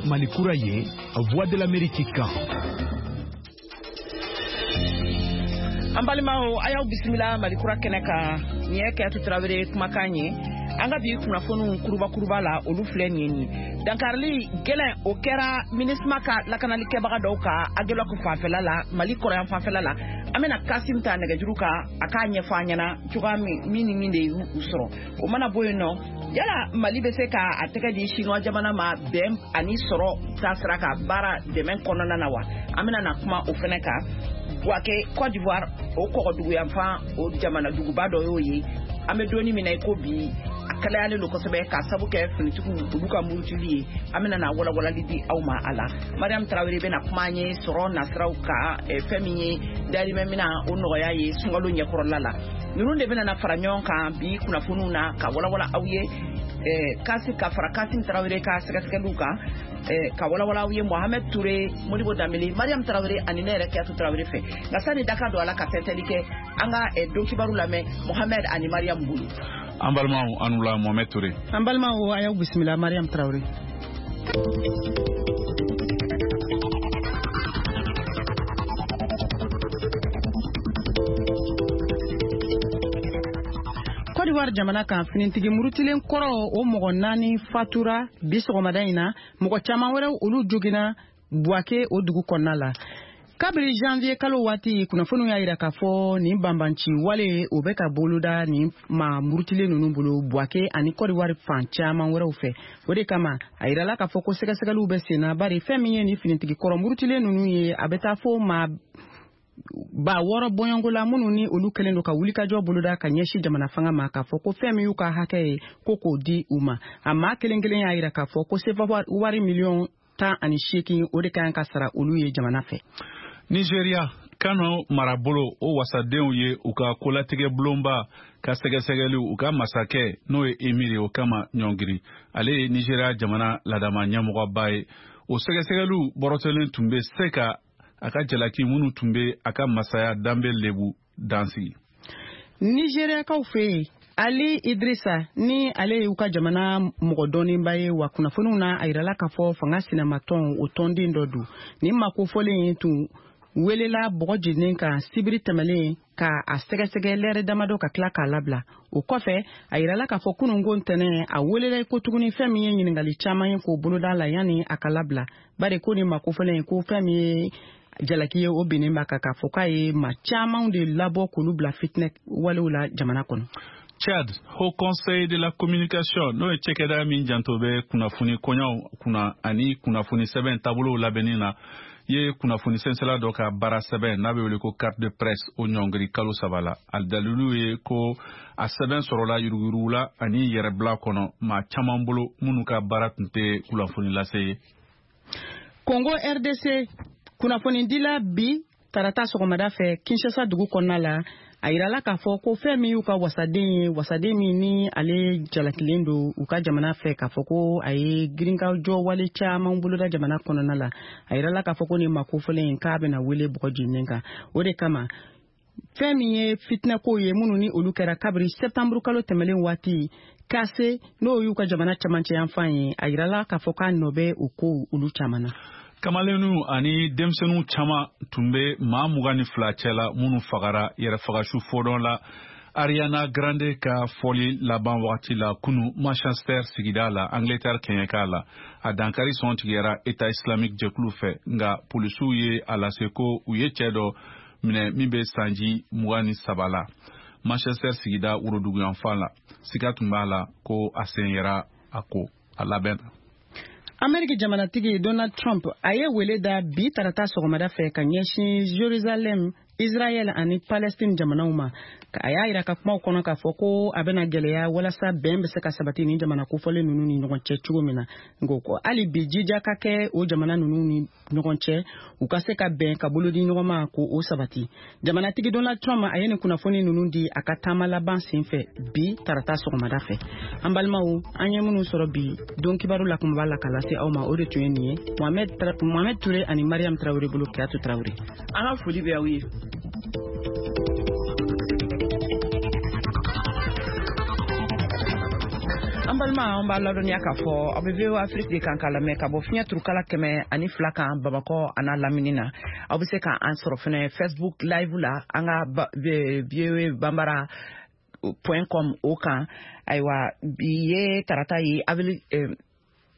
Mali kura ye, Voix de l'Amérique kan. An balimaw, a y'aw bisimila Mali kura kɛnɛ kan. Nin ye Kayatu Tarawele kumakan ye. An ka bi kunnafoniw kuruba kuruba la, olu filɛ nin ye. Nin dankarili gɛlɛn, o kɛra MINUSMA ka lakanalikɛbaga dɔw kan Aguelhok fanfɛla la, Mali kɔrɔyan fanfɛla la. An bɛna Kasim ta nɛgɛjuru kan, a k'a ɲɛfɔ an ɲɛna cogoya min ni min de y'u sɔrɔ. O mana bɔ yen nɔ, yala Mali bɛ se ka a tɛgɛ di Chinois jamana ma bɛn ani sɔrɔ taasira ka baara dɛmɛ kɔnɔna na wa? An bɛna na kuma o fɛnɛ kan. Bouaké, Côte d'Ivoire, o kɔgɔduguyanfan, o jamana duguba dɔ y'o ye. An bɛ donni min na i ko bi, a kalayalen don kosɛbɛ k'a sabu kɛ finitigiw olu ka murutili ye. An bɛna na walawalali di aw ma a la. Mariam Tarawele bɛna kuma an ye sɔrɔ nasiraw kan, fɛn min ye dahirimɛ mina o nɔgɔya ye sunkalo ɲɛkɔrɔla la. Ninnu de bɛna na fara ɲɔgɔn kan bi kunnafoniw na ka walawala aw ye, kasi ka fara Kasim Tarawele ka sɛgɛsɛgɛliw kan, ka walawala aw ye Mohamed Touré, Modibo Dambélé, Mariam Tarawele ani ne yɛrɛ Kayatu Tarawele fɛ. Nka sani daka don a la ka tɛntɛli kɛ, an ka don kibaru lamɛn Mohamed ani Mariam bolo. An balimaw, an wula, Mohamed Touré. An balimaw, a y'aw bisimila, Mariam Tarawele. Côte d'Ivoire jamana kan, finitigi murutilen kɔrɔ o mɔgɔ 4 fatura bi sɔgɔmada in na, mɔgɔ caman wɛrɛw olu joginna Bouaké o dugu kɔnɔna la. Kabiri janvier kalo waati, kunnafoniw y'a yira k'a fɔ nin banbanci wale o bɛ ka boloda nin maa murutilen ninnu bolo Bouaké ani Côte d'Ivoire fan caman wɛrɛw fɛ. O de kama a yirala k'a fɔ ko sɛgɛsɛgɛliw bɛ sen na, bari fɛn min ye nin finitigi kɔrɔ murutilen ninnu ye, a bɛ taa fo maa 6000 bɔɲɔgɔnko la minnu ni olu kɛlen don ka wulikajɔ boloda ka ɲɛsin jamana fanga ma k'a fɔ ko fɛn min y'u ka hakɛ ye ko k'o di u ma. A maa kelen kelen y'a yira k'a fɔ ko sefa wari miliyɔn 18 o de ka kan ka sara olu ye jamana fɛ. Nigeria, Kano marabolo o wasadenw ye u ka kolatigɛ bulonba ka sɛgɛsɛgɛliw u ka masakɛ n'o ye emir ye o kama ɲɔngiri. Ale ye Nigeria jamana ladama ɲɛmɔgɔba ye. O sɛgɛsɛgɛliw bɔrɔtɔlen tun bɛ se ka a ka jalaki minnu tun bɛ a ka masaya danbe lebu dansigi. Nigeriakaw fɛ yen, Ali Idrissa ni ale y'u ka jamana mɔgɔ dɔnnenba ye, wa kunnafoniw na a yirala k'a fɔ fanga sinamatɔn o tɔnden dɔ don. Nin maa kofɔlen tun welela bɔgɔ jeninen kan sibiri tɛmɛlen ka a sɛgɛsɛgɛ lɛrɛ damadɔ ka tila k'a labila. O kɔfɛ a yirala k'a fɔ kununko ntɛnɛn a welela ko tuguni fɛn min ye ɲininkali caman ye k'o boloda la yanni a ka labila, bari ko nin maa kofɔlen ko fɛn min ye jalaki ye o binnen b'a kan k'a fɔ k'a ye maa camanw de labɔ k'olu bila fitinɛ walew la jamana kɔnɔ. Tchad, Haut Conseil de la Communication, n'o ye cakɛda min janto bɛ kunnafoni kɔɲɔw kunna ani kunnafoni sɛbɛn taabolow labɛnni na, ye kunnafoni sɛnsɛla dɔ ka baara sɛbɛn n'a bɛ wele ko carte de presse o ɲɔngiri kalo 3 la. A dalilu ye ko a sɛbɛn sɔrɔla yuruguyurugu la ani yɛrɛbila kɔnɔ maa caman bolo minnu ka baara tun tɛ kunnafoni lase ye. Congo RDC, kunnafonidila bi tarata sɔgɔmada fɛ Kinshasa dugu kɔnɔna la, a yirala k'a fɔ ko fɛn min y'u ka wasaden ye, wasaden min ni ale jalakilen don u ka jamana fɛ k'a fɔ ko a ye girinkajɔ wale caman boloda jamana kɔnɔna la, a yirala k'a fɔ ko nin maa kofɔlen in k'a bɛna wele bɔgɔ jeninen kan. O de kama fɛn min ye fitinɛkow ye minnu ni olu kɛra kabiri septembre kalo tɛmɛlen waati kase n'o y'u ka jamana cɛmancɛ yanfan ye, a yirala k'a fɔ k'a nɔ bɛ o kow olu caman na. Kamalenninw ani denmisɛnninw caman tun bɛ maa 22 cɛ la minnu fagara yɛrɛfagasu fɔdɔn la Ariana Grande ka fɔli laban wagati la kunu Manchester sigida la, Angleterre kɛɲɛka la. A dankari sɔn tigɛra État islamique jɛkulu fɛ, nka polisiw ye a lase ko u ye cɛ dɔ minɛ min bɛ sanji 23 la Manchester sigida woroduguyanfan la. Siga tun b'a la ko a sen yera a ko a labɛn na. Ameriki jamanatigi Donald Trump a ye wele da bi tarata sɔgɔmada fɛ ka ɲɛsin Jerusalem, Israël ani Palestine jamanaw ma. A y'a yira ka kumaw kɔnɔ k'a fɔ ko a bɛna gɛlɛya walasa bɛn bɛ se ka sabati ni jamana kofɔlen ninnu ni ɲɔgɔn cɛ cogo min na. Nka ko hali bi jija ka kɛ o jamana ninnu ni ɲɔgɔn cɛ, u ka se ka bɛn ka bolo di ɲɔgɔn ma ko o sabati. Jamanatigi Donald Trump a ye nin kunnafoni ninnu di a ka taama laban senfɛ bi tarata sɔgɔmada fɛ. An balimaw, an ye minnu sɔrɔ bi don kibaru la kunba la ka lase aw ma, o de tun ye nin ye. Mohamed Touré ani Mariam Traoré bolo, Kayatu Traoré. An ka foli bɛ aw ye. An balima, an b'a ladɔnniya k'a fɔ aw bɛ VOA Afrique de kan k'a lamɛn ka bɔ fiɲɛ turukala 102 kan Bamakɔ a n'a lamini na. Aw bɛ se k'an sɔrɔ fɛnɛ Facebook Live la, an ka voabambara.com o kan. Ayiwa, bi ye tarata ye, avril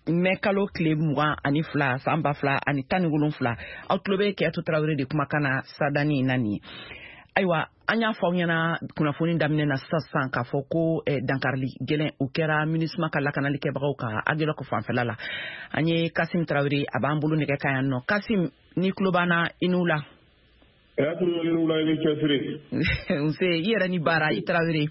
mɛ kalo tile 22 san 2017. Aw tulo bɛ Kɛyatu Tarawele de kumakan na sadani na nin ye. Ayiwa, an y'a fɔ aw ɲɛna kunnafoni daminɛ na sisan sisan k'a fɔ ko dankarili gɛlɛn o kɛra MINUSMA ka lakanali kɛbagaw kan Aguelhok fanfɛla la. An ye Kasim Tarawele, a b'an bolo nɛgɛ kan yan nɔ. Kasim, ni tulo b'an na, i n'u la. Kɛyatu, i ni wula, i ni cɛsiri. Nse, i yɛrɛ ni baara, i Tarawele.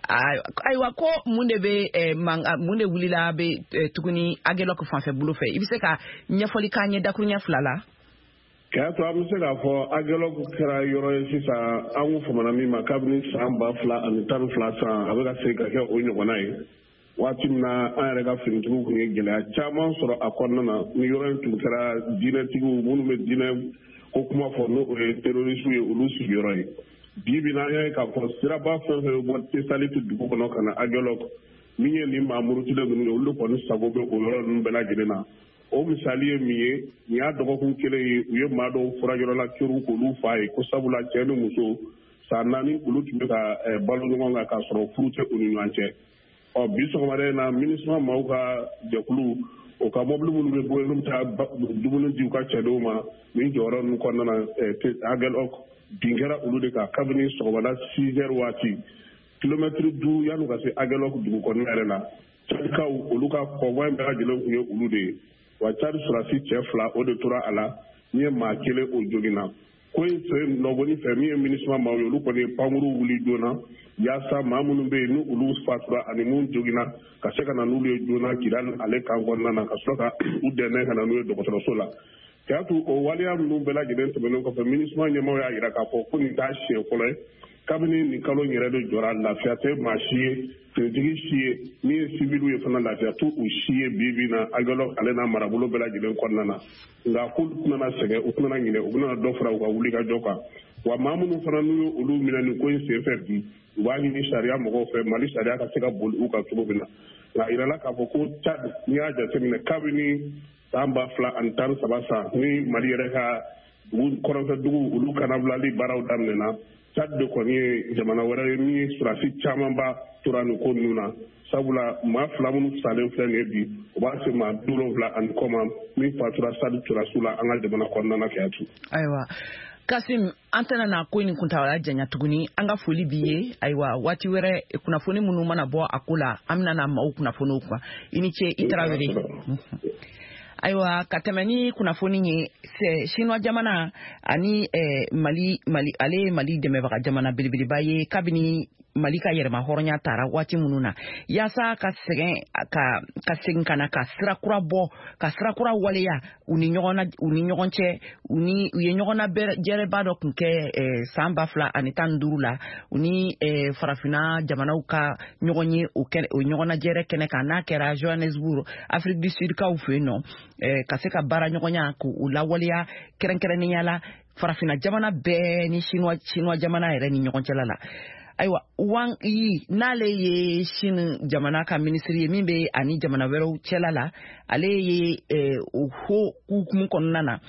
Ayiwa, ko mun de bɛ, mun de wulila bɛ tuguni Aguelhok fanfɛ bolo fɛ? I bɛ se ka ɲɛfɔli k'an ye dakuruɲɛ 2 la? Kɛyatu, an bɛ se k'a fɔ Aguelhok kɛra yɔrɔ ye sisan an kun famana min ma kabini san 2012 san, a bɛ ka segin ka kɛ o ɲɔgɔnna ye. Waati min na an yɛrɛ ka finitigiw tun ye gɛlɛya caman sɔrɔ a kɔnɔna na, ni yɔrɔ in tun kɛra diinɛtigiw minnu bɛ diinɛ ko kuma fɔ, n'o ye terroriste ye, olu sigiyɔrɔ ye. Bi bi na, an y'a ye k'a fɔ siraba fɛn fɛn bɛ bɔ Tesaliti dugu kɔnɔ ka na Aguelhok, min ye nin maa murutilen ninnu ye, olu kɔni sago bɛ o yɔrɔ ninnu bɛɛ lajɛlen na. O misali ye min ye, nin y'a dɔgɔkun kelen ye, u ye maa dɔw furajɔrɔla keru k'olu fa ye, ko sabula cɛ ni muso san 4 olu tun bɛ ka balo ɲɔgɔn kan k'a sɔrɔ furu tɛ u ni ɲɔgɔn cɛ. Ɔ bi sɔgɔmada in na, MINUSMA maaw ka jɛkulu, o ka mɔbili minnu bɛ bɔ yen, n'u bɛ taa dumuni di u ka cɛdenw ma nin jɔyɔrɔ ninnu kɔnɔna na Aguelhok, bin kɛra olu de kan kabini sɔgɔmada 6 heures waati, kilomɛtiri 5 yan'u ka se Aguelhok dugu kɔnɔna yɛrɛ la. Cadikaw, olu ka convoi in bɛɛ lajɛlen tun ye olu de ye. Wa Cadi sɔrɔdasi cɛ 2, o de tora a la, min ye maa kelen o joginna. Ko in sen nɔgɔni fɛ, min ye MINUSMA maaw ye, olu kɔni ye pankuru wuli joona yaasa maa minnu bɛ yen ni olu fatura ani minnu joginna, ka se ka na n'olu ye joona Kidali ale kan kɔnɔna na, ka sɔrɔ ka u dɛmɛ ka na n'u ye dɔgɔtɔrɔso la. Kɛyatu, o waleya ninnu bɛɛ lajɛlen tɛmɛnen kɔfɛ, MINUSMA ɲɛmaaw y'a jira k'a fɔ ko nin t'a siɲɛ fɔlɔ ye. Kabini nin kalo in yɛrɛ de jɔra, lafiya tɛ maa si ye, finitigi si ye, min ye siviliw ye fana, lafiya t'u si ye bi bi na Aguelhok ale n'a marabolo bɛɛ lajɛlen kɔnɔna na. Nka k'olu tɛna sɛgɛn, u tɛna ɲinɛ, u bɛna dɔ fara u ka wulikajɔ kan. Wa maa minnu fana n'u ye olu minɛ nin ko in senfɛ bi, u b'a ɲini sariya mɔgɔw fɛ, Mali sariya ka se ka boli u kan cogo min na. Nka a yirala k'a fɔ ko Tchad, n'i y'a jateminɛ kabini san 2013 san ni Mali yɛrɛ ka dugu kɔrɔnfɛ dugu olu kanabilali baaraw daminɛna, Tchad de kɔni ye jamana wɛrɛ ye min ye sɔrɔdasi camanba tora nin ko ninnu na. Sabula maa 2 minnu salen filɛ nin ye bi, o b'a se maa 70 ani kɔ ma min fatura Tchad sɔrɔdasiw la an ka jamana kɔnɔna na. Kɛyatu. Ayiwa Kasim, an tɛna na ko nin kuntagala janya tuguni. An ka foli b'i ye. Ayiwa, waati wɛrɛ, kunnafoni minnu mana bɔ a ko la, an bɛna na maaw kunnafoniw kan. I ni ce, i Tarawele. Ayiwa, ka tɛmɛ ni kunnafoni ye, Chinois jamana ani Mali, Mali ale ye Mali dɛmɛbaga jamana belebeleba ye kabini Mali ka yɛrɛma hɔrɔnya tara waati minnu na, yaasa ka sɛgɛn ka segin ka na ka sira kura bɔ, ka sira kura waleya u ni ɲɔgɔn u ni ɲɔgɔn cɛ. U ni u ye ɲɔgɔnna jɛrɛba dɔ kun kɛ san 2015 la, u ni farafinna jamanaw ka ɲɔgɔn ye o o ɲɔgɔnna jɛrɛ kɛnɛ kan, n'a kɛra Johannesburg, Afrique du Sud kaw fɛ yen nɔ, ka se ka baara ɲɔgɔnya k'u lawaleya, kɛrɛnkɛrɛnnenya la farafinna jamana bɛɛ ni Chinois jamana yɛrɛ ni ɲɔgɔn cɛla la. Ayiwa, Wang Yi, n'ale ye Chine jamana ka minisiri ye min bɛ ani jamana wɛrɛw cɛla la, ale ye o hukumu kɔnɔna na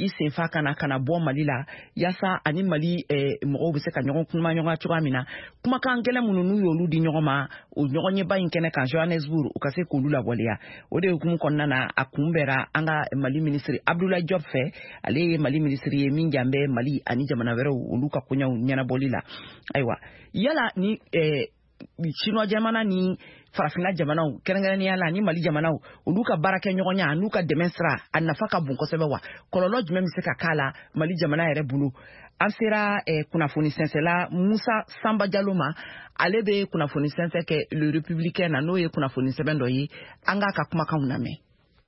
i senfa ka na ka na bɔ Mali la, yaasa ani Mali mɔgɔw bɛ se ka ɲɔgɔn kuma ɲɔgɔn cogoya min na. Kumakan gɛlɛn minnu n'u y'olu di ɲɔgɔn ma o ɲɔgɔnɲɛba in kɛnɛ kan Johannesburg, u ka se k'olu lawaleya. O de hukumu kɔnɔna na, a kunbɛra an ka Mali minisiri Abdoulaye Diop fɛ. Ale ye Mali minisiri ye min jan bɛ Mali ani jamana wɛrɛw olu ka koɲɛw ɲɛnabɔli la. Ayiwa, yala ni Chinois jamana ni farafinna jamanaw, kɛrɛnkɛrɛnnenya la ni Mali jamanaw, olu ka baarakɛ ɲɔgɔnya n'u ka dɛmɛ sira, a nafa ka bon kosɛbɛ wa? Kɔlɔlɔ jumɛn bɛ se ka k'a la Mali jamana yɛrɛ bolo? An sera kunnafoni sɛnsɛla Musa Sanba Jalo ma. Ale bɛ kunnafoni sɛnsɛn kɛ Le Républicain na, n'o ye kunnafoni sɛbɛn dɔ ye. An k'a ka kumakanw lamɛn.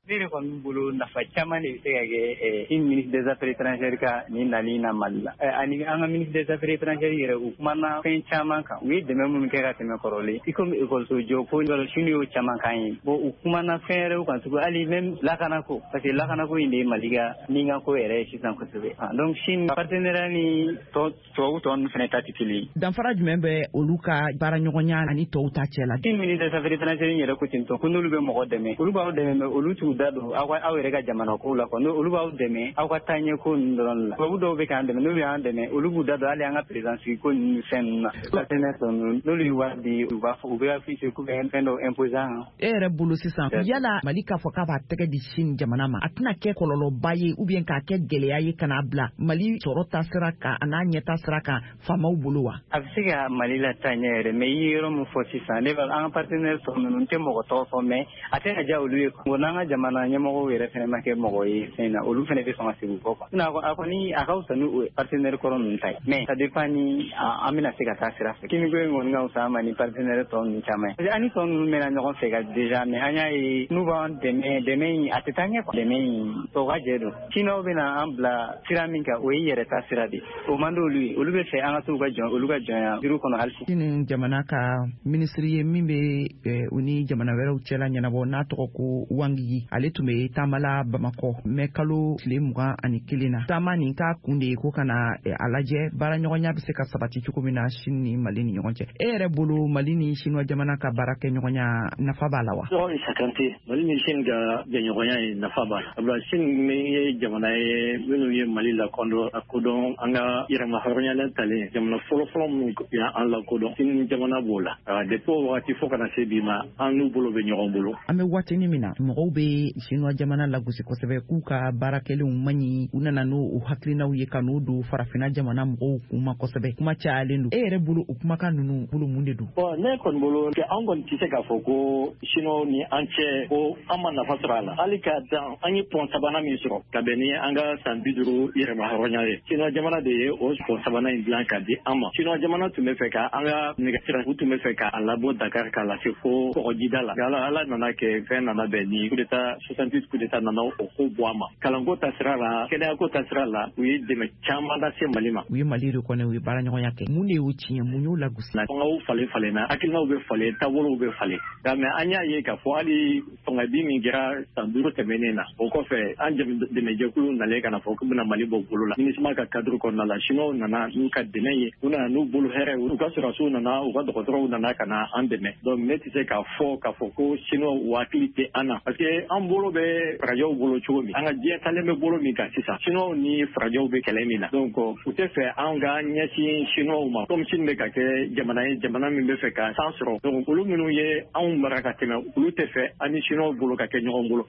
Ne yɛrɛ kɔni bolo, nafa caman de bɛ se ka kɛ Chine ministre des Affaires étrangères ka nin nali na Mali la. Ani an ka ministre des Affaires étrangères yɛrɛ, u kumana fɛn caman kan. U ye dɛmɛ minnu kɛ ka tɛmɛ kɔrɔlen, i komi ekɔliso jɔ ko, Chine y'o caman kan ye. Bon, u kumana fɛn wɛrɛw kan tugun, hali même lakanako, parce que lakanako in de ye Mali ka ninkanko yɛrɛ ye sisan kosɛbɛ. Donc Chine partenariat ni tubabu tɔ ninnu fana ta tɛ kelen ye. Danfara jumɛn bɛ olu ka baaraɲɔgɔnya ani tɔw ta cɛ la? Chine ministre des Affaires étrangères yɛrɛ ko ten tɔ ko n'olu bɛ mɔgɔ dɛmɛ, olu b'aw dɛmɛ, mais olu t'u da don aw ka aw yɛrɛ ka jamana kow la quoi. Olu b'aw dɛmɛ aw ka taaɲɛ ko ninnu dɔrɔn la. Tubabu dɔw bɛ k'an dɛmɛ, n'olu y'an dɛmɛ, olu b'u da don hali an ka président sigi ko ninnu ni fɛn ninnu na. Partenaire tɔ ninnu, n'olu ye wari di, u b'a fɔ u bɛ afficher k'u bɛ fɛn dɔw imposer an kan. E yɛrɛ bolo sisan, yala Mali k'a fɔ k'a b'a tɛgɛ di Chine jamana ma, a tɛna kɛ kɔlɔlɔba ye ou bien k'a kɛ gɛlɛya ye ka n'a bila Mali sɔrɔ ta sira kan a n'a ɲɛta sira kan faamaw bolo wa? A bɛ se ka Mali la taa ɲɛ yɛrɛ, mais i ye yɔrɔ min fɔ sisan, ne b'a an ka partenaire tɔ ninnu, n tɛ mɔgɔ tɔgɔ fɔ, mais a tɛna diya olu ye. Bon, n'an ka jamana ɲɛmɔgɔw yɛrɛ fana ma kɛ mɔgɔ ye fɛn na, olu fana bɛ sɔn ka segin u kɔ quoi. Sinon a kɔni a ka fisa ni o partenaire kɔrɔ ninnu ta ye, mais ça dépend ni an bɛna se ka taa sira fɛ. Chine ko in kɔni ka fisa an ma ni partenaire tɔ ninnu caman ye, parce que an ni tɔ ninnu mɛnna ɲɔgɔn fɛ ka déjà, mais an y'a ye n'u b'an dɛmɛ, dɛmɛ in a tɛ taa ɲɛ quoi. Dɛmɛ in tɔ ka jɛ don. Chinois bɛna an bila sira min kan, o ye yɛrɛ ta sira de, o man d'olu ye. Olu bɛ fɛ an ka to u ka jɔn, olu ka jɔnya juru kɔnɔ hali. Chine jamana ka minisiri ye min bɛ u ni jamana wɛrɛw cɛla ɲɛnabɔ, n'a tɔgɔ ko Wang Yi, ale tun bɛ taama la Bamakɔ mɛ kalo tile 21 na. Taama nin k'a kun de ye ko ka na a lajɛ baaraɲɔgɔnya bɛ se ka sabati cogo min na Chine ni Mali ni ɲɔgɔn cɛ. E yɛrɛ bolo, Mali ni Chinois jamana ka baara kɛ ɲɔgɔnya, nafa b'a la wa? Tɔgɔ Isa Kante. Mali ni Chine ka jɛɲɔgɔnya ye, nafa b'a la, sabula Chine ye jamana ye minnu ye Mali lakodɔn, a kodɔn an ka yɛrɛma hɔrɔnya talen. Jamana fɔlɔfɔlɔ minnu y'an lakodɔn, Chine jamana b'o la. Depuis o wagati fo kana se bi ma, an n'u bolo bɛ ɲɔgɔn bolo. An bɛ waatinin min na, mɔgɔw bɛ Chinois jamana lagosi kosɛbɛ k'u ka baara kɛlenw man ɲi. U nana n'o u hakilinaw ye ka n'o don farafinna jamana mɔgɔw kun ma kosɛbɛ. Kuma cayalen don. E yɛrɛ bolo, o kumakan ninnu bolo, mun de don? Bon, ne kɔni bolo, an kɔni tɛ se k'a fɔ ko Chinois ni an cɛ ko an ma nafa sɔrɔ a la. Hali ka dan an ye pont sabanan min sɔrɔ ka bɛn ni an ka san 50 yɛrɛma hɔrɔnya ye, Chinois jamana de ye o pont sabanan in dilan ka di an ma. Chinois jamana tun bɛ fɛ ka an ka nɛgɛsira, u tun bɛ fɛ k'a labɔ Dakar k'a lase fo kɔgɔjida la. Ala ala nana kɛ fɛn nana bɛn ni coup d'état 68, coup d'état nana o ko bɔ a ma. Kalanko ta sira la, kɛnɛyako ta sira la, u ye dɛmɛ caman lase Mali ma. U ye Mali reconnaît, u ye baaraɲɔgɔnya kɛ. Mun de y'o tiɲɛ? Mun y'o lagosi? Fangaw falen falenna, hakilinaw bɛ falen, taabolow bɛ falen, nka mais an y'a ye k'a fɔ hali fangabi min kɛra san 5 tɛmɛnen na, o kɔfɛ an dɛmɛjɛkulu nalen ka na fɔ k'u bɛna Mali bɔ bolo la MINUSMA ka cadre kɔnɔna la, Chinois nana n'u ka dɛmɛ ye, u nana n'u bolo hɛrɛ, u ka sɔrɔdasiw nana, u ka dɔgɔtɔrɔw nana ka na an dɛmɛ. Donc ne tɛ se k'a fɔ k'a fɔ ko Chinois u hakili tɛ an na, parce que an bolo bɛ farajɛw bolo cogo min, an ka diɲɛ talen bɛ bolo min kan sisan, Chinois ni farajɛw bɛ kɛlɛ min na, donc u tɛ fɛ an ka ɲɛsin Chinois ma, comme Chine bɛ ka kɛ jamana ye, jamana min bɛ fɛ ka san sɔrɔ. Donc olu minnu ye anw mara ka tɛmɛ, olu tɛ fɛ an ni Chinois bolo ka kɛ ɲɔgɔn bolo.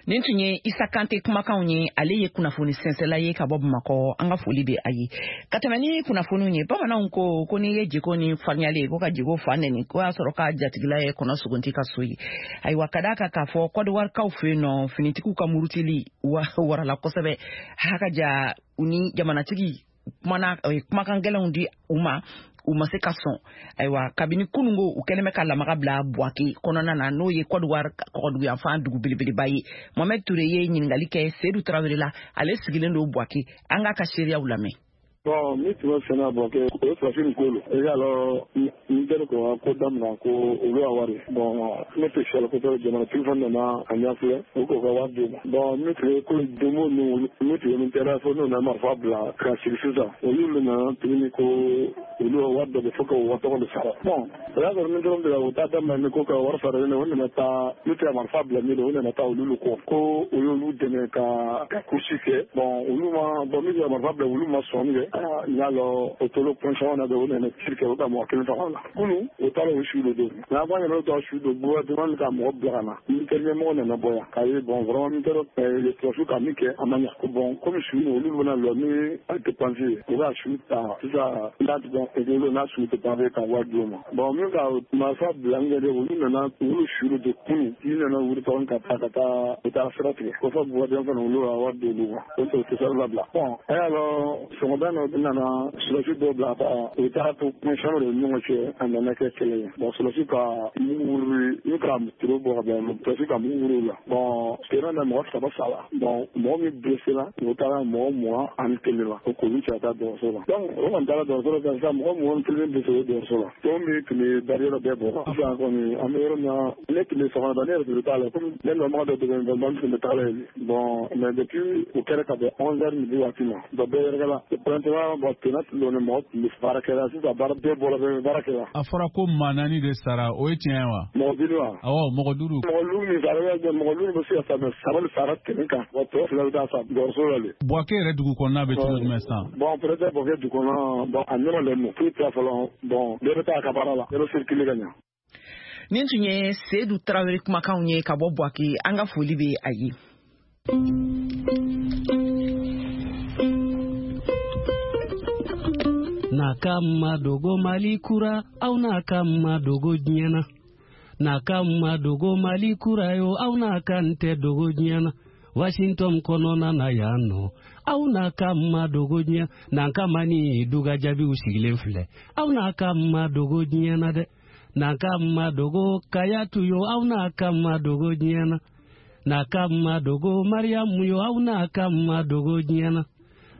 Nin tun ye Isa Kante kumakanw ye. Ale ye kunnafoni sɛnsɛla ye ka bɔ Bamakɔ. An ka foli bɛ a ye. Ka tɛmɛ ni kunnafoniw ye, bamananw ko ko n'i ye jiko ni farinyalen ko ka jiko fa nɛni, ko y'a sɔrɔ k'a jatigila ye kɔnɔ sugunti ka so ye. Ayiwa, ka d'a kan k'a fɔ Kɔdiwarikaw fɛ yen nɔ, finitigiw ka murutili warala kosɛbɛ, haka ja u ni jamanatigi kumana, kumakan gɛlɛnw di u ma, u ma se ka sɔn. Ayiwa, kabini kunungo, u kɛlen bɛ ka lamaga bila Buwake kɔnɔna na, n'o ye Kɔdiwari kɔgɔduguyanfan dugu belebeleba ye. Mohamɛd Ture ye ɲininkali kɛ Sedu Tarawele la, ale sigilen don Buwake. An k'a ka seereyaw lamɛn. Bon, min tun bɛ fɛn na Buwake, o ye farafin nin ko lo. I y'a lɔn, n teri ko ko daminɛ ko olu ka wari. Bon, ne tɛ siyala kosɛbɛ. Jamanatigi fana nana a ɲɛfilɛ, u k'o ka wari d'u ma. Bon, min tun ye ko donbo ninnu, min tun ye min kɛra fo n'u nana marifa bila ka sigi sisan, olu de nana tuguni ko olu ka wari dɔ bɛ fo ka o tɔgɔ de sara. Bon, o y'a sɔrɔ min dɔrɔn de la, u t'a daminɛ ni ko ka wari sara ne, o nana taa n'u tɛ marifa bila min, o nana taa olu kɔ ko o y'olu dɛmɛ ka kusi kɛ. Bon, olu ma, bon, min tɛ marifa bila, olu ma sɔn kɛ. N y'a lɔn o tolo pɔnsɔn na bɛ, o nana tir kɛ, o ka mɔgɔ kelen faga o la. Kunu o taara o su de don, nka an yɛrɛ ta su don, gouvernement ka mɔgɔ bila ka na, militaire ɲɛmɔgɔ nana bɔ yan k'a ye. Bon, vraiment, militaire sɔrɔdasiw ka min kɛ, a ma ɲa. Bon, komi su olu bɛna lɔ ni a dépense ye, u b'a su ta sisan n'a tigɛ n'a su dépense ka wari d'u ma. Bon, min ka marifa bila n yɛrɛ, olu nana olu su de kunu, i nana wuli tɔgɔ ka taa u taa sira tigɛ ko fɔ gouvernement fana olu ka wari d'olu ma, o tɛ sira labila. Bon, a y'a lɔn sɔgɔmada. dɔ nana sɔrɔdasi dɔ bila ka u taara to kuma de ɲɔgɔn cɛ, a nana kɛ kɛlɛ ye. Bon, sɔrɔdasi ka mugu wuri ni ka tiro bɔ ka bɛn, sɔrɔdasi ka mugu wuri la. Bon, terrain na mɔgɔ 3 sara. Bon, mɔgɔ min blessé la, u taara mɔgɔ 21 la, o k'olu cɛ ka taa dɔgɔtɔrɔso la. Donc o kɔni taara dɔgɔtɔrɔso la sisan, mɔgɔ 21 blessé o dɔgɔtɔrɔso la. Tɔn min tun bɛ barrière bɛɛ bɔ sisan kɔni, an bɛ yɔrɔ min na, ne tun bɛ sɔgɔmada, ne yɛrɛ tun bɛ taa la, komi ne nɔmɔgɔ dɔ dɛmɛ n tun bɛ taa la yen. Bon, mais depuis o kɛra ka bɛn 11 heures midi waati ma, donc bɛɛ yɛrɛkɛla pɛrɛntɛla. Bon, tɛnɛ tun don, mɔgɔ tun bɛ baara kɛra sisan, baara bɛɛ bɔra, bɛɛ bɛ baara kɛra. A fɔra ko maa 4 de sara, o ye tiɲɛ ye wa? Mɔgɔ 5 wa? Awɔ, mɔgɔ 5. Mɔgɔ 5 min sara, mɔgɔ 5 bɛ se ka sa, mais 3 de sara tɛnɛ kan. Bon, tɔ 2 bɛ taa sa dɔgɔtɔrɔso la de. Bouaké yɛrɛ dugu kɔnɔna bɛ cogo jumɛn sisan? Bon, peut-être Bouaké dugu kɔnɔ, bon, a nɔrɔlen don, foyi tɛ fɔlɔ. Bon, bɛɛ bɛ taa a ka baara la, bɛɛ bɛ circuler ka ɲɛ. Nin tun ye Seydou Tarawele kumakanw ye ka bɔ Bouaké. An ka foli bɛ a ye. N'a ka ma dogo Mali kura, aw n'a ka ma dogo diɲɛ na. N'a ka ma dogo Mali kura yo, aw n'a ka n tɛ dogo diɲɛ na. Washington kɔnɔna na yan nɔ, aw n'a ka ma dogo diɲɛ. N'an ka ma ni duga jaabiw sigilen filɛ, aw n'a ka ma dogo diɲɛ na dɛ. N'an ka ma dogo Kayatu yo, aw n'a ka ma dogo diɲɛ na. N'a ka ma dogo Mariyamu yo, aw n'a ka ma dogo diɲɛ na.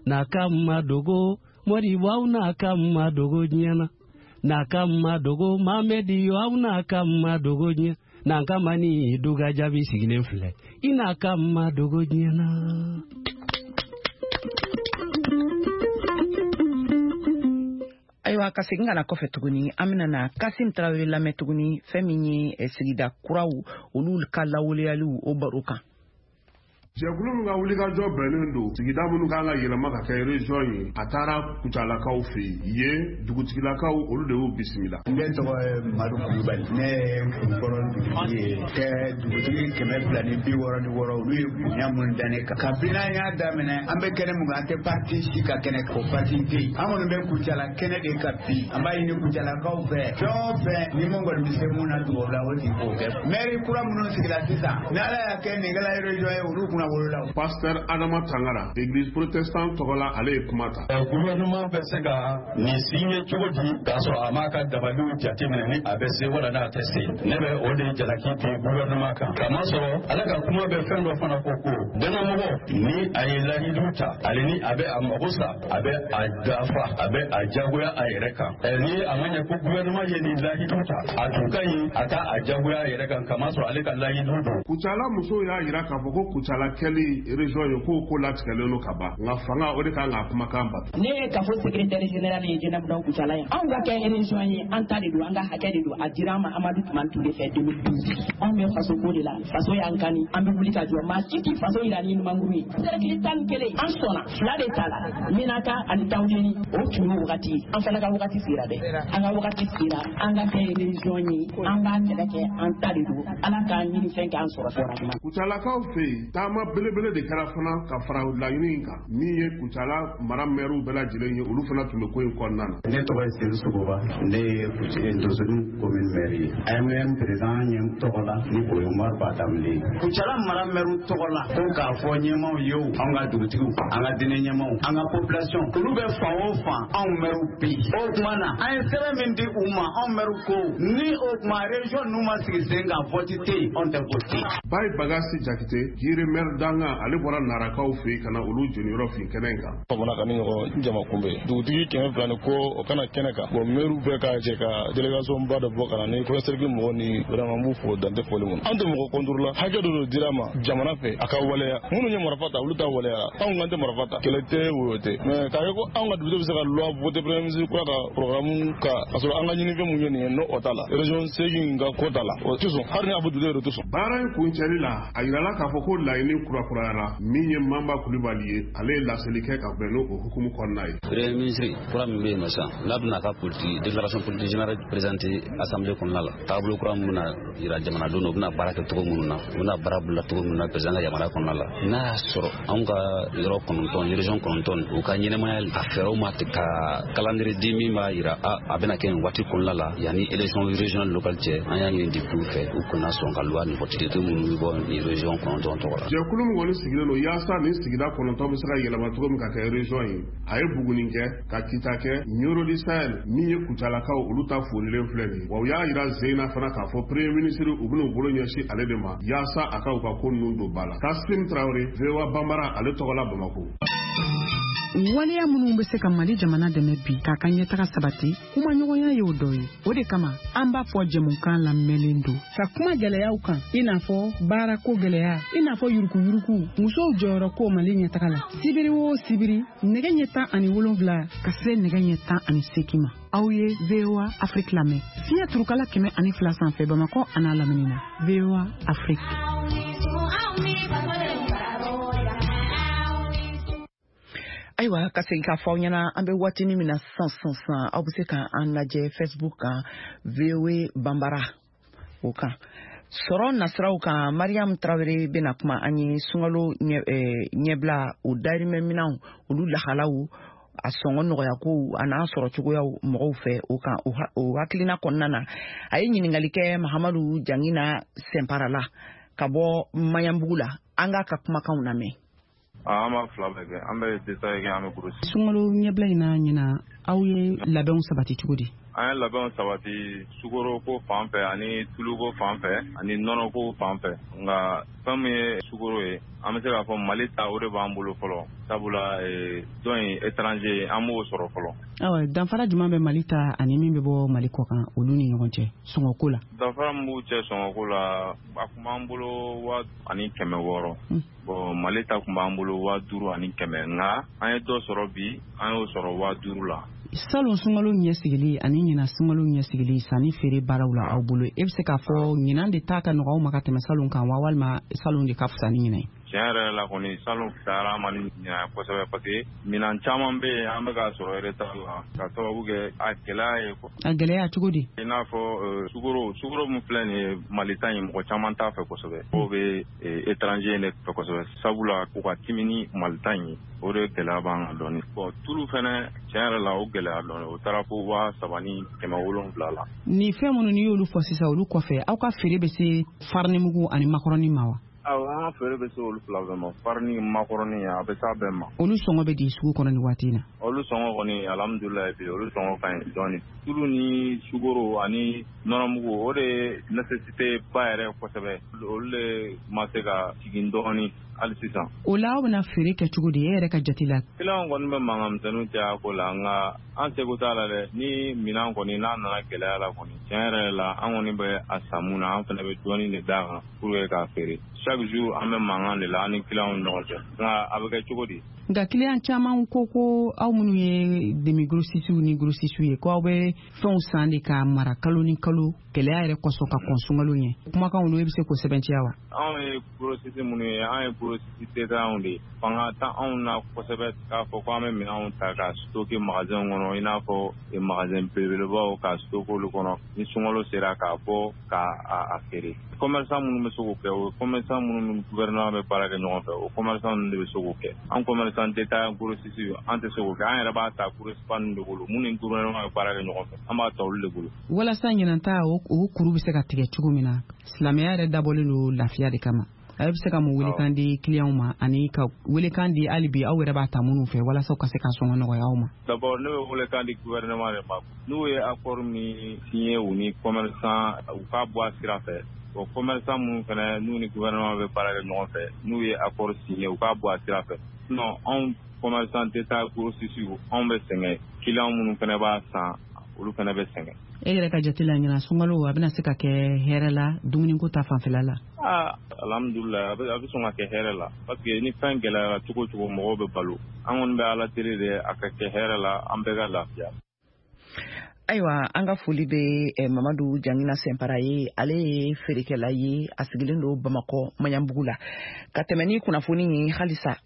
N'a ka ma dogo Moribo, aw n'a ka ma dogo diɲɛ na. N'a ka ma dogo Mamedi yo, aw n'a ka ma dogo diɲɛ. N'an ka ma ni duga jaabi sigilen filɛ, i n'a ka ma dogo diɲɛ na. Ayiwa, ka segin ka na kɔfɛ tuguni, an bɛna na Kasim Tarawele lamɛn tuguni, fɛn min ye sigida kuraw olu ka lawaleyaliw, o baro kan. Jɛkulu min ka wulikajɔ bɛnnen don sigida minnu kan ka yɛlɛma ka kɛ région ye, a taara Kucalakaw fɛ yen. Dugutigilakaw, olu de y'u bisimila. Ne tɔgɔ ye Madu Kulubali, ne ye Kulukɔrɔ dugutigi ye. Kɛ dugutigi 266, olu ye bonya minnu da ne kan. Kabini an y'a daminɛ, an bɛ kɛnɛ mun kan, an tɛ parti si ka kɛnɛ kan, o parti tɛ yen. An kɔni bɛ Kucala kɛnɛ de kan bi. An b'a ɲini Kucalakaw fɛ, fɛn o fɛn ni mun kɔni bɛ se mun na dugawu la, o tigi k'o kɛ. Mɛri kura minnu sigila sisan, ni Ala y'a kɛ nin kɛla région ye, olu kunna. Pasteur Adama Tangara, église protestante tɔgɔ la, ale ye kuma ta. Gouvernement bɛ se ka nin signer cogo di k'a sɔrɔ a m'a ka dabaliw jateminɛ ni a bɛ se wala n'a tɛ se? Ne bɛ o de jalaki bin gouvernement kan. Kamasɔrɔ ale ka kuma bɛ fɛn dɔ fana fɔ ko dannamɔgɔ ni a ye lahidu ta, ale ni a bɛ a mago sa, a bɛ a dafa, a bɛ a jagoya a yɛrɛ kan. Ni a ma ɲɛ ko gouvernement ye nin lahidu ta, a tun ka ɲi a ka a jagoya a yɛrɛ kan, kamasɔrɔ ale ka lahidu don. Kucala musow y'a jira k'a fɔ ko Kucala kɛli région ye ko latigɛlen don ka ban, nka fanga o de kan k'a kumakan bato. Ne ye kafo secrétaire général ye Jɛnɛbudaw Kucala ye. Anw ka kɛ région ye, an ta de don, an ka hakɛ de don. A dira an ma Amadu Tumani Ture fɛ 2012. Anw bɛ faso ko de la, faso y'an kani, an bɛ wuli ka jɔ. Maa si t'i faso yira ni numankuru ye. Cercle 11, an sɔnna 2 de ta la, Menaka ani Tawudeni, o tun ye wagati ye. An fana ka wagati sera dɛ, an ka wagati sera, an ka kɛ région ye, an b'a kɛlɛ kɛ, an ta de don. Ala k'an ɲini fɛn k'an sɔrɔ fɔra. Kucalakaw fɛ yen, taama belebele de kɛra fana ka fara laɲini in kan, min ye Kucala mara mɛriw bɛɛ lajɛlen ye, olu fana tun bɛ ko in kɔnɔna na. Ne tɔgɔ ye Seydou Sogoba, ne ye Dosoni commune maire ye. AMM président ɲɛ tɔgɔ la, ni o ye Umaru Batamile ye. Kucala mara mɛriw tɔgɔ la, ko k'a fɔ ɲɛmaaw ye o, anw ka dugutigiw, an ka diinɛ ɲɛmaaw, an ka population, olu bɛ fan o fan, anw mɛriw bɛ yen. O tuma na, an ye sɛbɛn min di u ma, anw mɛriw ko ni o tuma région ninnu ma sigi sen kan, vote tɛ yen, anw tɛ vote. Bayi Bagasi Jakite, Jire maire danga, ale bɔra Narakaw fɛ yen ka na olu jeniyɔrɔ fin kɛnɛ in kan. Famana ka ni ɲɔgɔn jama kunbɛn, dugutigi 200 ni ko o kana kɛnɛ kan. Bon, maire bɛɛ ka jɛ ka délégation ba dɔ bɔ ka na ni premier cercle mɔgɔw ni vraiment n b'u fo dan tɛ foli mun. An tɛ mɔgɔ contre la, hakɛ dɔ de dira ma jamana fɛ a ka waleya. Minnu ye marifa ta, olu ta waleya. Anw kan tɛ marifa ta, kɛlɛ tɛ, woyo tɛ. Mais k'a kɛ ko anw ka député bɛ se ka loi voter premier ministre kura ka programme ka k'a sɔrɔ an ka ɲinifɛn mun ye nin ye, n'o o t'a la. Région 8 ka ko t'a la, o tɛ sɔn. Hali ni a bɛ député yɛrɛ tɛ sɔn. Baara in kuncɛli la, a yirala k'a fɔ ko laɲini kurakurayara. Min ye Manba Kulibali ye, ale ye laseli kɛ ka bɛn n'o hukumu kɔnɔna ye. Premier ministre kura min bɛ yen nɔ sisan, n'a bɛna a ka politique déclaration politique générale présenter assemblée kɔnɔna la, taabolo kura min bɛna yira jamanadenw na, u bɛna baara kɛ cogo minnu na, u bɛna baara bila cogo minnu na président ka yamaruya kɔnɔna la, n'a y'a sɔrɔ anw ka yɔrɔ 9, région 9, u ka ɲɛnɛmaya a fɛɛrɛw ma ka calendrier di min b'a yira a bɛna kɛ nin waati kɔnɔna la yanni élection régionale locale cɛ, an y'a ɲini député fɛ u kana sɔn ka loi nin voter, député minnu bɛ bɔ nin région 9 tɔgɔ la. Jɛkulu Jɛkulu min kɔni sigilen don yaasa nin sigida 9 bɛ se ka yɛlɛma cogo min ka kɛ région ye, a ye Buguni kɛ, ka Kita kɛ, Nioro du Sahel min ye Kucalakaw olu ta folilen filɛ nin ye. Wa u y'a jira zen na fana k'a fɔ premier ministre u bɛn'u bolo ɲɛsin ale de ma yaasa a ka u ka ko ninnu don ba la. Kasim Traoré, VOA Bambara, ale tɔgɔ la Bamako. Waleya minnu bɛ se ka Mali jamana dɛmɛ bi k'a ka ɲɛtaga sabati, kumaɲɔgɔnya y'o dɔ ye. O de kama an b'a fɔ jɛmukan lamɛnlen don ka kuma gɛlɛyaw kan, i n'a fɔ baarako gɛlɛya, i n'a fɔ yurukuyuruku, musow jɔyɔrɔ ko Mali ɲɛtaga la. Sibiri o sibiri, nɛgɛ ɲɛ 17 ka se nɛgɛ ɲɛ 18 ma, aw ye VOA Afrique lamɛn fiɲɛ turukala 102 sanfɛ Bamakɔ an'a lamini na. VOA Afrique. Ayiwa, ka segin k'a fɔ aw ɲɛna, an bɛ waatinin min na sisan sisan, aw bɛ se ka an lajɛ Facebook kan, VOA Bambara o kan. Sɔrɔ nasiraw kan, Mariam Traoré bɛna kuma an ye sunkalo ɲɛbila, o dayirimɛ minɛnw, olu lahalaw, a sɔngɔ nɔgɔyakow a n'a sɔrɔ cogoyaw mɔgɔw fɛ o kan. O hakilina kɔnɔna na, a ye ɲininkali kɛ Mahamadu Jangina Sɛnpara la ka bɔ Maɲanbugu la. An k'a ka kumakanw lamɛn. An b'a fila bɛɛ kɛ, an bɛ détail kɛ, an bɛ grossiste. Sunkalo ɲɛbila in na ɲina, aw ye labɛnw sabati cogo di? An ye labɛnw sabati sukoro ko fan fɛ, ani tuluko fan fɛ, ani nɔnɔko fan fɛ. Nka fɛn min ye sukoro ye, an bɛ se k'a fɔ Mali ta, o de b'an bolo fɔlɔ, sabula dɔ in étranger, an b'o sɔrɔ fɔlɔ. Awa, danfara jumɛn bɛ Mali ta ani min bɛ bɔ Mali kɔ kan, olu ni ɲɔgɔn cɛ sɔngɔko la? Danfara min b'u cɛ sɔngɔko la, a tun b'an bolo 1600. Bon, Mali ta tun b'an bolo 5100, nka an ye dɔ sɔrɔ bi, an y'o sɔrɔ 5000 la. Salon sunkalo ɲɛsigili ani ɲinan sunkalo ɲɛsigili sanni feere baaraw la aw bolo, e bɛ se k'a fɔ ɲinan de ta ka nɔgɔ aw ma ka tɛmɛ salon kan wa, walima salon de ka fisa ni ɲinan ye? Tiɲɛ yɛrɛ la kɔni, salon fisayara an ma ni ɲinan kosɛbɛ, parce que minɛn caman bɛ yen, an bɛ k'a sɔrɔ retard la ka sababu kɛ a gɛlɛya ye. A gɛlɛya cogo di? I n'a fɔ sukoro, sukoro min filɛ nin ye, Mali ta in, mɔgɔ caman t'a fɛ kosɛbɛ. Mɔgɔw bɛ étranger de fɛ kosɛbɛ, sabula k'u ka timi ni Mali ta in ye, o de gɛlɛya b'an kan dɔɔnin. Bon, tulu fɛnɛ, tiɲɛ yɛrɛ la, o gɛlɛya dɔɔnin, o taara fo 3700 la. Nin fɛn minnu n'i y'olu fɔ sisan, olu kɔfɛ, aw ka feere bɛ se farinimugu ani makɔrɔni ma wa? Awɔ, an ka feere bɛ se olu fila bɛɛ ma, farini, makɔrɔni, a bɛ s'a bɛɛ ma. Olu sɔngɔ bɛ di sugu kɔnɔ nin waati in na? Olu sɔngɔ kɔni, alhamdulilayi, bi olu sɔngɔ ka ɲi dɔɔnin. Tulu ni sukoro ani nɔnɔmugu, o de ye nécessité ba yɛrɛ kosɛbɛ, olu de ma se ka jigin dɔɔnin hali sisan. O la, aw bɛna feere kɛ cogo di e yɛrɛ ka jate la? Client kɔni bɛ mankan misɛnninw caya ko la, nka an seko t'a la dɛ. Ni minɛn kɔni n'a nana gɛlɛya la kɔni, tiɲɛ yɛrɛ la, an kɔni bɛ a san mun na, an fana bɛ dɔɔnin de d'a kan pour que k'a feere. Chaque jour an bɛ mankan de la an ni client ni ɲɔgɔn cɛ, nka a bɛ kɛ cogo di? Nka client caman ko ko aw minnu ye demi grossistes ni grossistes ye, ko aw bɛ fɛnw san de k'a mara kalo ni kalo gɛlɛya yɛrɛ kosɔn ka kɔn sunkalo ɲɛ. Kumakan olu, e bɛ se k'o sɛbɛntiya wa? Anw ye grossiste minnu ye, an ye grossiste détaillants de ye. Fanga t'anw anw na kosɛbɛ k'a fɔ ko an bɛ minɛnw ta ka stocker magasin kɔnɔ, i n'a fɔ magasin belebelebaw, ka stocker olu kɔnɔ, ni sunkalo sera k'a bɔ k'a a feere. Commerçant minnu bɛ se k'o kɛ, o ye commerçant minnu ni gouvernement bɛ baara kɛ ɲɔgɔn fɛ, o commerçant ninnu de bɛ se k'o kɛ. An commerçant détaillant grossiste, an tɛ se k'o kɛ. An yɛrɛ b'a ta grossiste ninnu de bolo, minnu ni gouvernement bɛ baara kɛ ɲɔgɔn fɛ, an b'a ta olu de bolo. Walasa ɲinan ta o kuru bɛ se ka tigɛ cogo min na, silamɛya yɛrɛ dabɔlen don lafiya de kama, a bɛ se ka mun welekan di clients ma, ani ka welekan di hali bi aw yɛrɛ b'a ta minnu fɛ, walasa u ka se ka sɔngɔ nɔgɔya aw ma? D'abord, ne bɛ welekan di gouvernement de ma. N'u ye accord min signé u ni commerçant, u k'a bɔ a sira fɛ. Bon, commerçant minnu fana n'u ni gouvernement bɛ baara kɛ ɲɔgɔn fɛ, n'u ye accord signé, u k'a bɔ a sira fɛ. Sinon, anw commerçant détail grossiste, anw bɛ sɛgɛn, client minnu fana b'a san, olu fana bɛ sɛgɛn. E yɛrɛ ka jate la, ɲinan sunkalo a bɛna se ka kɛ hɛrɛ la dumuniko ta fanfɛla la? Aa, alhamdulilayi, a bɛ sɔn ka kɛ hɛrɛ la, parce que ni fɛn gɛlɛyara cogo o cogo, mɔgɔw bɛ balo. An kɔni bɛ Ala deli de a ka kɛ hɛrɛ la, an bɛɛ ka lafiya. Ayiwa, an ka foli bɛ Mamadu Jangina Sɛnpara ye. Ale ye feerekɛla ye, a sigilen don Bamakɔ Maɲanbugu la. Ka tɛmɛ ni kunnafoni ye halisa.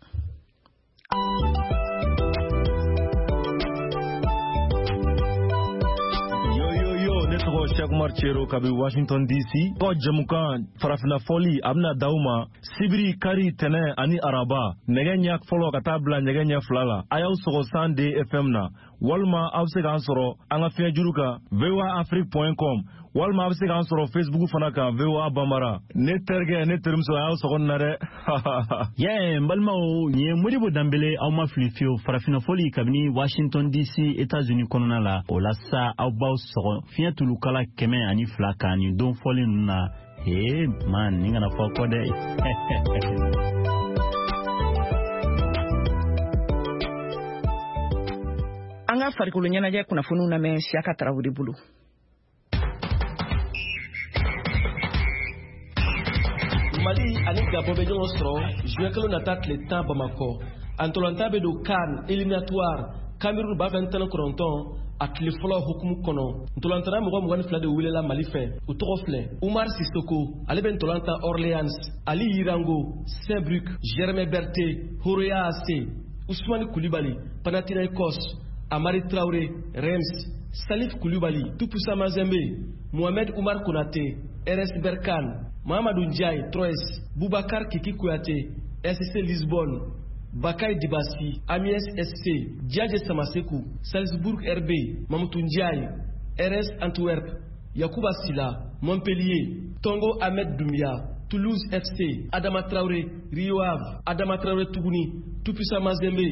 Ne tɔgɔ Cheikh Umar Cero kabi Washington DC. Ko jɛmukan farafinna fɔli, a bɛna d'aw ma sibiri, kari, tɛnɛ ani araba, nɛgɛ ɲɛ fɔlɔ ka taa bila nɛgɛ ɲɛ 2 la. A y'aw sɔgɔ 102 FM na. Walima aw bɛ se k'an sɔrɔ an ka fiɲɛjuru kan voaafrique.com, walima a bɛ se k'an sɔrɔ Facebook fana kan, VOA Bambara. Ne terikɛ, ne terimuso, a y'aw sɔgɔ nin na dɛ. Yɛ, n balimaw, nin ye Modibo Danbele. Aw ma fili fiyewu, farafinna fɔli kabini Washington DC, États-Unis kɔnɔna la. O la sa, aw b'aw sɔgɔ fiɲɛ tulukala 102 kan nin don fɔlen ninnu na. Ee man, nin kana fɔ kɔ dɛ. An ka farikolo ɲɛnajɛ kunnafoniw lamɛn Siyaka Tarawele bolo. Mali ani Gabon bɛ ɲɔgɔn sɔrɔ juin kalo nata tile 10 Bamakɔ. A ntolatan bɛ don CAN éliminatoire Cameroun 2019 a tile fɔlɔ hukumu kɔnɔ. Ntolantana mɔgɔ 22 de welela Mali fɛ. U tɔgɔ filɛ: Umar Sissoko, ale bɛ ntolan tan Orléans; Ali Yirango, Saint-Brieuc; Germain Berté, Horoya AC; Ousmane Koulibaly, Panathinaikos; Amari Traoré, Reims; Salif Koulibaly, Tout-Puissant Mazembe; Mohamed Oumar Konate, RS Berkane; Mahamadou Ndiaye, Troyes; Boubacar Kiki Kouyaté, SC Lisbonne; Bakay Dibassi, Amiens SC; Diadje Samasekou, Salzbourg RB; Mamoutou Ndiaye, RS Antwerp; Yacouba Silla, Montpellier; Tongo Ahmed Doumbia, Toulouse FC; Adama Traoré, Rio Ave; Adama Traoré Tougouni, Tout-Puissant Mazembe;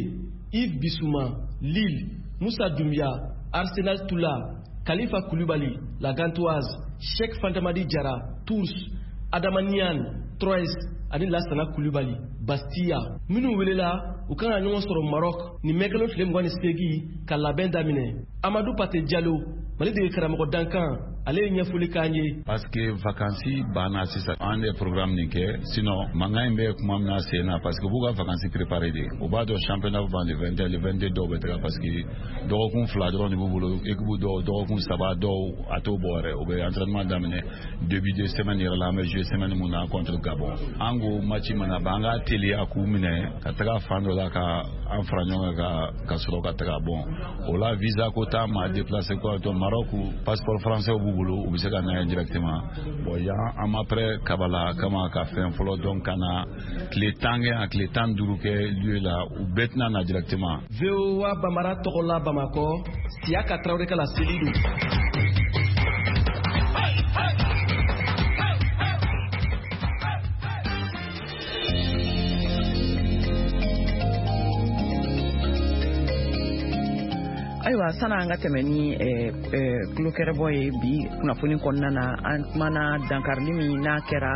Yves Bissouma, Lille; Moussa Doumbia, Arsenal Toula; Khalifa Koulibaly, La Gantoise; Cheikh Fantamadi Diarra, Tours; Adama Niane, Troyes, ani Lassana Koulibaly, Bastia. Minnu welela, u kan ka ɲɔgɔn sɔrɔ Maroc ni mɛkalo tile 28 ka labɛn daminɛ. Amadou Pate Diallo, Mali dege karamɔgɔ dankan, ale ye ɲɛfɔli k'an ye. Parce que vacances banna sisan, an de programme nin kɛ, sinon mankan in bɛ kuma min na sen na, parce que u b'u ka vacances préparer de. U b'a dɔn championnat bɛ ban le 21, le 22 dɔw bɛ taga, parce que dɔgɔkun 2 dɔrɔn de b'u bolo, équipe dɔw dɔgɔkun 3, dɔw a t'o bɔ yɛrɛ. U bɛ entraînement daminɛ début de semaine yɛrɛ la, an bɛ jouer semaine mun na contre Gabon. An ko match mana ban, an ka teliya k'u minɛ ka taga fan dɔ la ka an fara ɲɔgɔn kan ka sɔrɔ ka taga. Bon, o la visa ko t'a ma, déplacer quoi, donc Maroc passeport français b'u bolo, u bɛ se ka na yan directement. Bon, yan an ma prêt kabala kama ka fɛn fɔlɔ, donc ka na tile 10 kɛ yan, tile 15 kɛ lieu la, u bɛɛ tɛna na directement. VOA Bambara tɔgɔ la Bamakɔ, Siyaka Tarawele ka laseli don. Ayiwa, sana an ka tɛmɛ ni tulokɛrɛbɔ ye bi kunnafoni kɔnɔna na, an kumana dankarili min n'a kɛra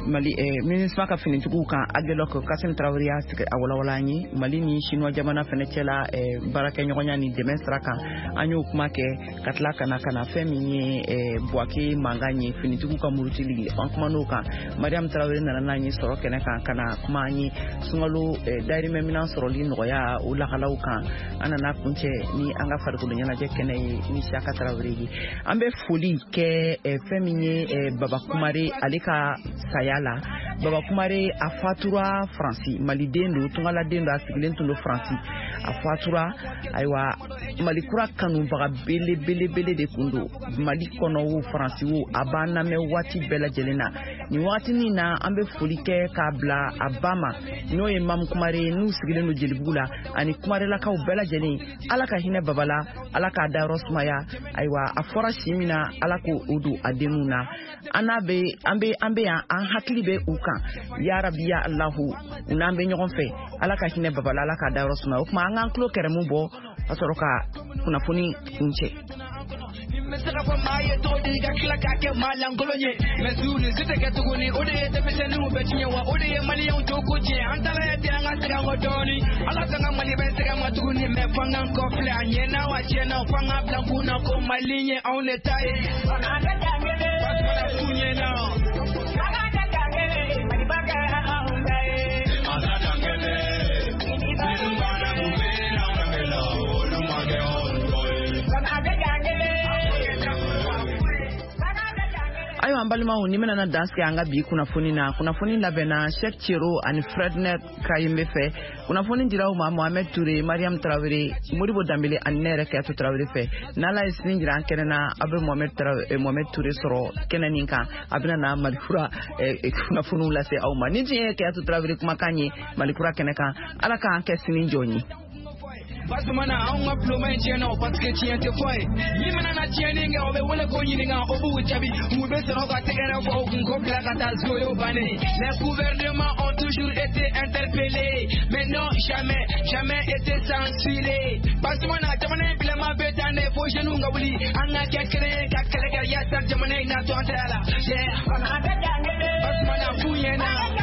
Mali MINUSMA ka finitigiw kan Aguelhok. Kasim Traoré y'a sigi a walawala an ye Mali ni Chinois jamana fɛnɛ cɛla baarakɛɲɔgɔnya ni dɛmɛ sira kan. An y'o kuma kɛ ka tila ka na fɛn min ye Bouaké mankan ye, finitigiw ka murutili, an kuman'o kan. Mariam Traoré nana n'an ye sɔrɔ kɛnɛ kan ka na kuma an ye sunkalo dayirimɛ minɛn sɔrɔli nɔgɔya o lahalaw kan. An nana kuncɛ ni an ka farikolo ɲɛnajɛ kɛnɛ ye ni Siyaka Traoré ye. An bɛ foli kɛ fɛn min ye Baba Kumare, ale ka saya la. Baba Kumare a fatura Faransi, maliden don, tungaladen don, a sigilen tun don Faransi, a fatura. Ayiwa, Mali kura kanubaga belebelebele de kun don, Mali kɔnɔ wo, Faransi wo, a b'an lamɛn waati bɛɛ lajɛlen na. Nin wagatinin na, an bɛ foli kɛ k'a bila a ba ma, n'o ye Mamu Kumare ye, n'u sigilen don Jelibugu la, ani Kumarelakaw bɛɛ lajɛlen. Ala ka hinɛ Baba la, Ala k'a dayɔrɔ sumaya. Ayiwa, a fɔra si min na, Ala k'o don a denw na. An n'a bɛ an bɛ an bɛ yan, an hakili bɛ u kan, ya rabi ya Alahu, u n'an bɛ ɲɔgɔn fɛ. Ala ka hinɛ Baba la, Ala k'a dayɔrɔ sumaya. O tuma an k'an tulo kɛrɛmu bɔ ka sɔrɔ ka kunnafoni kuncɛ. Bɛ se ka fɔ maa ye cogo di ka tila k'a kɛ maa lankolon ye, mɛ su nin si tɛ kɛ tuguni. O de ye denmisɛnninw bɛ tiɲɛ wa, o de ye maliyɛnw to ko tiɲɛ. An taara ye ten, an ka segin an kɔ dɔɔni. Ala t'an ka Mali bɛ sɛgɛn ma tuguni, mɛ f'an k'an kɔ filɛ a ɲɛna wa tiɲɛna, f'an k'a bila kun na ko Mali ye anw de ta ye. Pasumana ɲɛna. Ayiwa, an balimaw, ni bɛna dan sigi an ka bi kunnafoni na. Kunnafoni labɛnna Cheikh Thiero ani Fredner Kayembe fɛ. Kunnafoni dira aw ma Mohamed Touré, Mariam Traoré, Modibo Danbele ani ne yɛrɛ Kayatu Traoré fɛ. N'Ala ye sini jira an kɛnɛ na, aw bɛ Mohamed Touré sɔrɔ kɛnɛ nin kan. A bɛna na Malikura kunnafoniw lase aw ma. Ni tun ye Kayatu Traoré kumakan ye Malikura kɛnɛ kan. Ala k'an kɛ sini jɔn ye. Basumana anw ka bulonba in tiɲɛna o parce que tiɲɛ tɛ fɔ ye. Min mana na tiɲɛni kɛ o bɛ wele ko ɲininka o b'u jaabi. U bɛ sɔrɔ ka tɛgɛrɛ fɔ u kun ko bila ka taa so y'o bannen. Les gouvernements ont toujours été interpellés, mais non jamais, jamais été censurés. Basumana jamana in bilama bɛ tan de fo jeunes ka wuli an ka kɛ kelen ye ka kɛlɛ kɛ yaasa jamana in na to an tɛgɛ la. Yeah. Basumana f'u ɲɛna.